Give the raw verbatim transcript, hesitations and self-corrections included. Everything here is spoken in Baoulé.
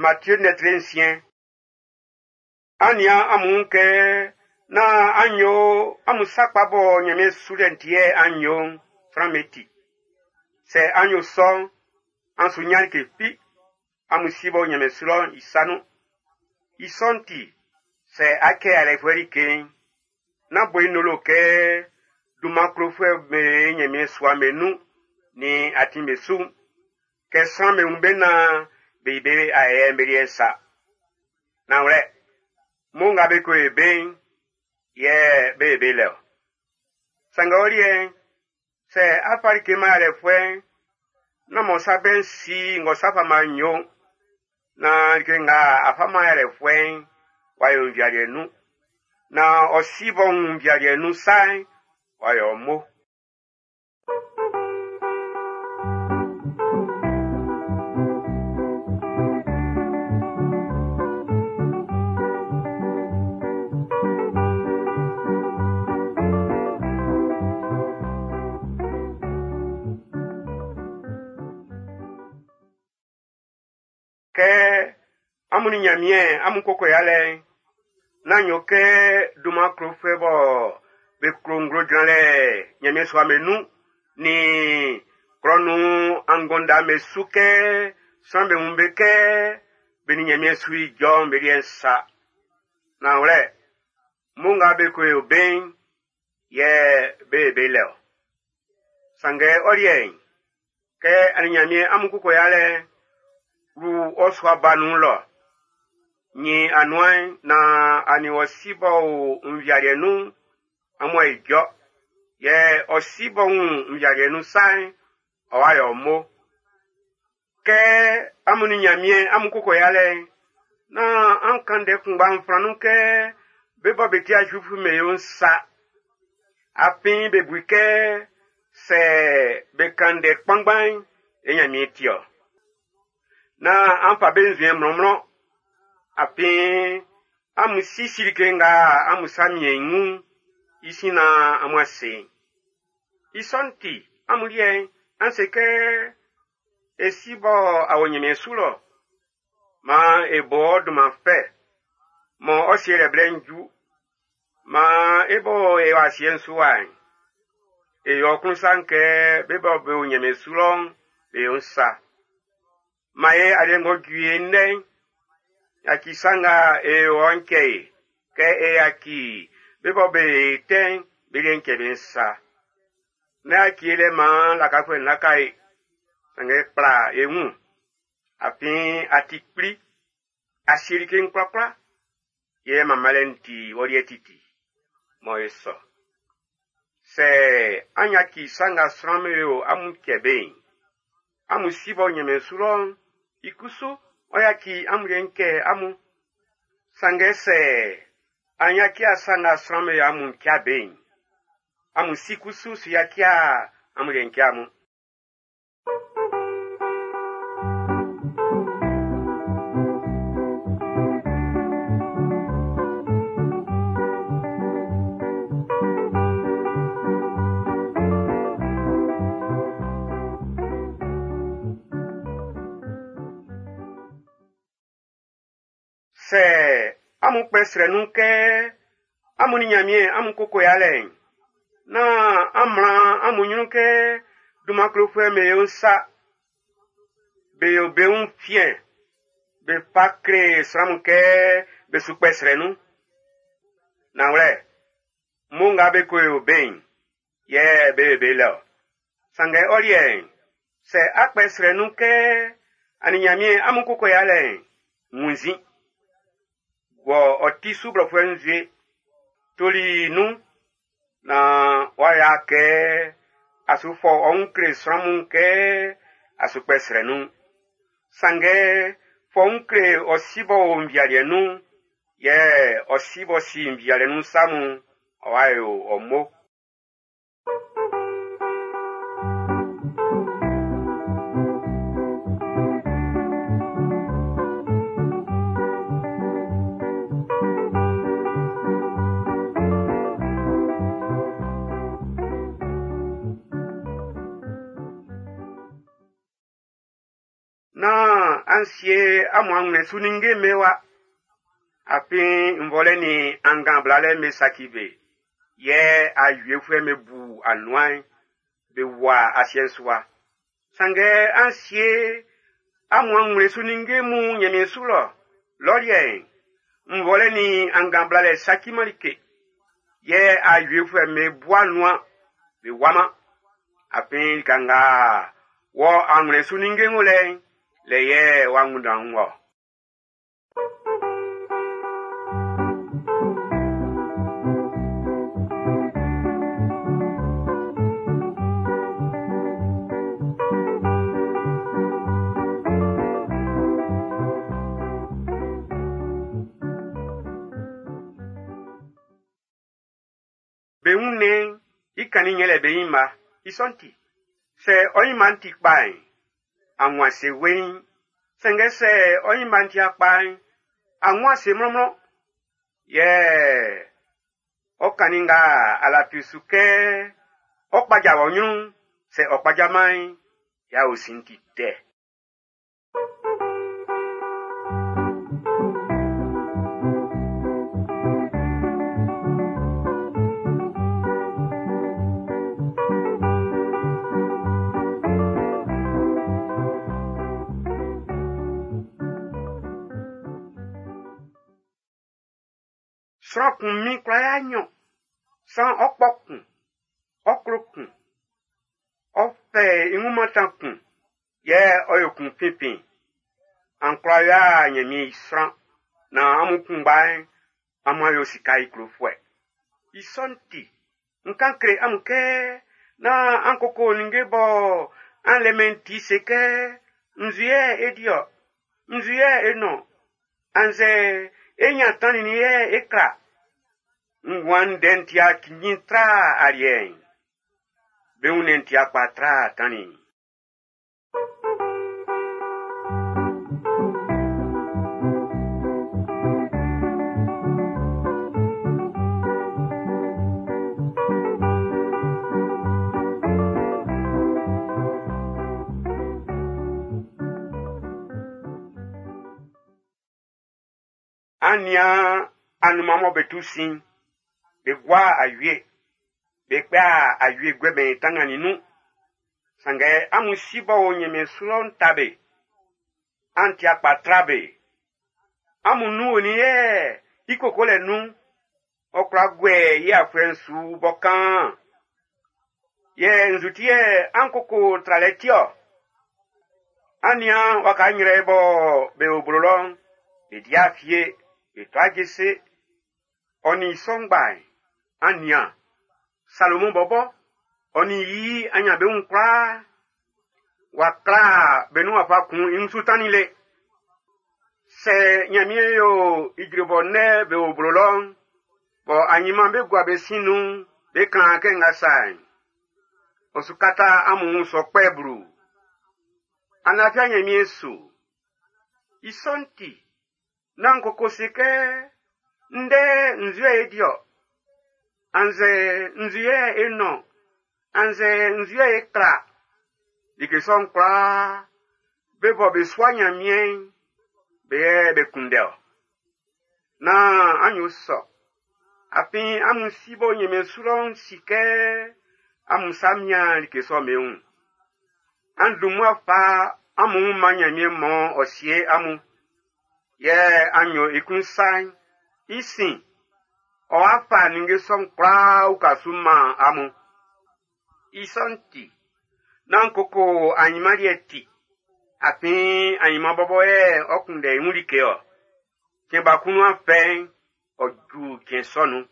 Matthieu ndɛ nsiɛn. An nian amun wun kɛ nán an yo amun sa kpa bɔ Nyanmiɛn sulɛ'n ti yɛ an yo'n sran'm be ti. Sɛ an yo sɔ'n, an su nyan like fi amun si bɔ Nyanmiɛn su lɔ'n i sa nun. I sɔ'n ti, sɛ a kɛ alɛfuɛ like'n, nán bo i nolo kɛ dunman klofuɛ be Nyanmiɛn sua'm be nun nin atin be su'n, kɛ sran'm be wun be naan be yi be ayɛ'n be liɛ'n sa. Nanwlɛ, mo nga be ko e be'n, yɛ be ye be lɛ-ɔ. Sanngɛ ɔ liɛ'n, sɛ a fa like man alɛfuɛ'n, nán mɔ sa bɛ'n si ng'ɔ sa fa man nyo'n, na like nga a fa man alɛfuɛ'n, w'a yo nvialiɛ nun. Na ɔ si bɔ wun nvialiɛ nun sa'n, w'a yo mo. Kɛ amun ni Nyanmiɛn amun koko yalɛ'n, nán yo kɛ dunman klofuɛ bɔ be klo nglo jranlɛ Nyanmiɛn sua'm be nun nin klɔ nun anngɔnda'm be su kɛ sran'm be wun be kɛ be ni Nyanmiɛn su ijɔ'n be liɛ'n sa. Nanwlɛ, mo nga be ko yo be'n, yɛ be ye be lɛ-ɔ. Sanngɛ ɔ liɛ'n, kɛ a ni Nyanmiɛn amun koko yalɛ'n, wlu ɔ sua ba nun lɔ. Nyin anuan'n na a ni wɔ si bɔ o nvialiɛ nun'n, amun a ijɔ. Yɛ ɔ si bɔ wun nvialiɛ nun sa'n, ɔ wa yɔ mo. Kɛ amun ni Nyanmiɛn amun koko yalɛ'n, nán an kan ndɛ kunngba'n flan nun kɛ be bɔ be ti Zuifu'm be yo'n sa. Afin be bu i kɛ sɛ be kan ndɛ kpanngban'n, e Nyanmiɛn ti-ɔ. Nán an fa be nzuɛn mlɔnmlɔn. Afin amun sisi like nga amun sa miɛn i wun'n, i sin na amun ase. I sɔ'n ti, amun liɛ'n, an se kɛ e si bɔ a wɔ Nyanmiɛn su lɔ. Maan e bo ɔ dunman fɛ, mɔ ɔ sielɛ blɛ'n ju. Maan e bɔ e wɔ asiɛ'n su wa'n, e yo ɔ klun sa'n kɛ be bɔ be o Nyanmiɛn su lɔ'n, be yo'n sa. Man e aliɛ ng'ɔ ju e ndɛ'n, yaci sa nga e yo ɔ'n cɛ e, kɛ e yaci be bɔ be tɛ'n be liɛ'n cɛ be'n sa. Nán yaci e lɛ maan lakafuɛ'n laka e, sanngɛ kpla e wun, afin a ti kpli, a sie like'n kwlakwla, yɛ manmanlɛ'n ti wɔ liɛ titi, mɔ e sɔ. Sɛ an yaci sa nga sran'm be yo amun cɛ be'n, amun si bɔ Nyanmiɛn su lɔ'n, i kusu ɔ yaci amun liɛ'n cɛ amun. Sanngɛ sɛ an yaci sa nga sran'm be yo amun cɛ be'n, amun si kusu su yaci amun liɛ'n cɛ amun. Sɛ amun kpɛ srɛ nun kɛ amun ni Nyanmiɛn amun koko yalɛ'n, nán an mlan amun nyrun kɛ dunman klofuɛ'm be yo'n sa. Be yo be wun fiɛn, be fa kle sran mun kɛ be su kpɛ srɛ nun. Nanwlɛ, mo nga be ko yo be'n, yɛ be ye be lɛ-ɔ. Sanngɛ ɔ liɛ'n, sɛ a kpɛ srɛ nun kɛ a ni Nyanmiɛn amun koko yalɛ'n, wunnzin. Wɔ ɔ ti su blɔfuɛ nzue, toli nun, na w'a ya kɛ a su fɔ ɔ wun kle sran mun kɛ a su kpɛ srɛ nun. Sanngɛ fɔ wun kle ɔ si bɔ o nvialiɛ nun, yɛ ɔ si bɔ si nvialiɛ nun sa mun, ɔ wa yo ɔ mo. Nán An sie amun anwlɛn su ninnge'm be wa. Afin nvɔlɛ nin angan blalɛ'n be saci be. Yɛ awiefuɛ'm be bu anuan'n be wua asiɛ'n su wa. Sanngɛ an sie amun anwlɛn su ninnge mun Nyanmiɛn su lɔ. Lɔ liɛ'n, nvɔlɛ nin angan blalɛ saciman like. Yɛ awiefuɛ'm be bu anuan be wuaman. Afin lika nga wɔ anwlɛn su ninnge wo lɛ'n, lɛ yɛ wɔ angunndan'n wɔ. Be wunnɛn'n i kannin yɛlɛ be nyinma, i sɔ'n ti, sɛ ɔ nyinma'n ti kpa'n, a wun ase weiin. Sanngɛ sɛ ɔ nyinma'n ti kpa'n, a wun ase mlɔnmlɔn. Yɛ ɔ kannin nga a lafi su kɛ ɔ kpaja wɔ nyrun'n, sɛ ɔ kpajaman'n, ya osin'n ti tɛ. Sran kun min kwla ya nnyɔn, san ɔ kpɔ kun, ɔ klo kun, ɔ fɛ i wun mantan kun, yɛ ɔ yo kun finfin. An kwla yo'a Nyanmiɛn i sran, nan amun kunngba'n amun a yo sika i klofuɛ. I sɔ'n ti, n kan kle amun kɛ nán an koko ninnge bɔ an lɛ-mɛn ti se kɛ nzu yɛ e di-ɔ, nzu yɛ e nɔn, annzɛ e nyan tannin yɛ e kla. Nguan ndɛ'n ti cinnjin tra aliɛ'n. Be wunnɛn'n ti kpa tra tannin'n. An nian anunman mɔ be tu sin'n, be gua awie, be kpɛ awie guɛmɛn i tanngannin'n nun. Sanngɛ amun si b'ɔ o Nyanmiɛn su lɔ'n ta be. An ti kpa tra be. Amun nun onin yɛ i kokolɛ nun'n, ɔ kwla guɛ i afuɛ'n su bɔ kaan. Yɛ nzu ti yɛ an koko tralɛ ti-ɔ? An nian waka nyrɛ bɔ be o blo lɔ'n, be di afie, be tua jese. Ɔ nin i sɔ ngba'n, an nian, Salomɔn bɔbɔ, ɔ nin i anyanbeun'n kwlaa, w'a kla be nun wafa kun i wunsu tannin le. Sɛ Nyanmiɛn yo ijre bɔ nnɛn be o blo lɔ'n, bɔ anyinman be gua be sin nun'n, be klan kɛ nga sa'n, ɔ su kata amun wun sɔ kpɛ blu. An lafi Nyanmiɛn su. I sɔ'n ti, nán koko se kɛ ndɛ nzu yɛ e di-ɔ, annzɛ nzu yɛ e nɔn, annzɛ nzu yɛ e kla. Like sɔ'n kwlaa, be bɔ be sua Nyanmiɛn'n, be yɛ be kunndɛ-ɔ. Nán an yo sɔ. Afin amun si bɔ Nyanmiɛn su lɔ'n si kɛ amun sa mian like sɔ'n be wun. An dun mmua fa amun wun man Nyanmiɛn mɔ ɔ sie amun. Yɛ an yo i klun sa'n, i sin, ɔ'a fa ninnge sɔ'n kwlaa uka su man amun. I sɔ'n ti, nán koko anyinman liɛ ti. Afin anyinman bɔbɔ yɛ ɔ kunndɛ i wun like-ɔ. Cɛn ba kun nuan fɛ'n, ɔ ju cɛn sɔ nun.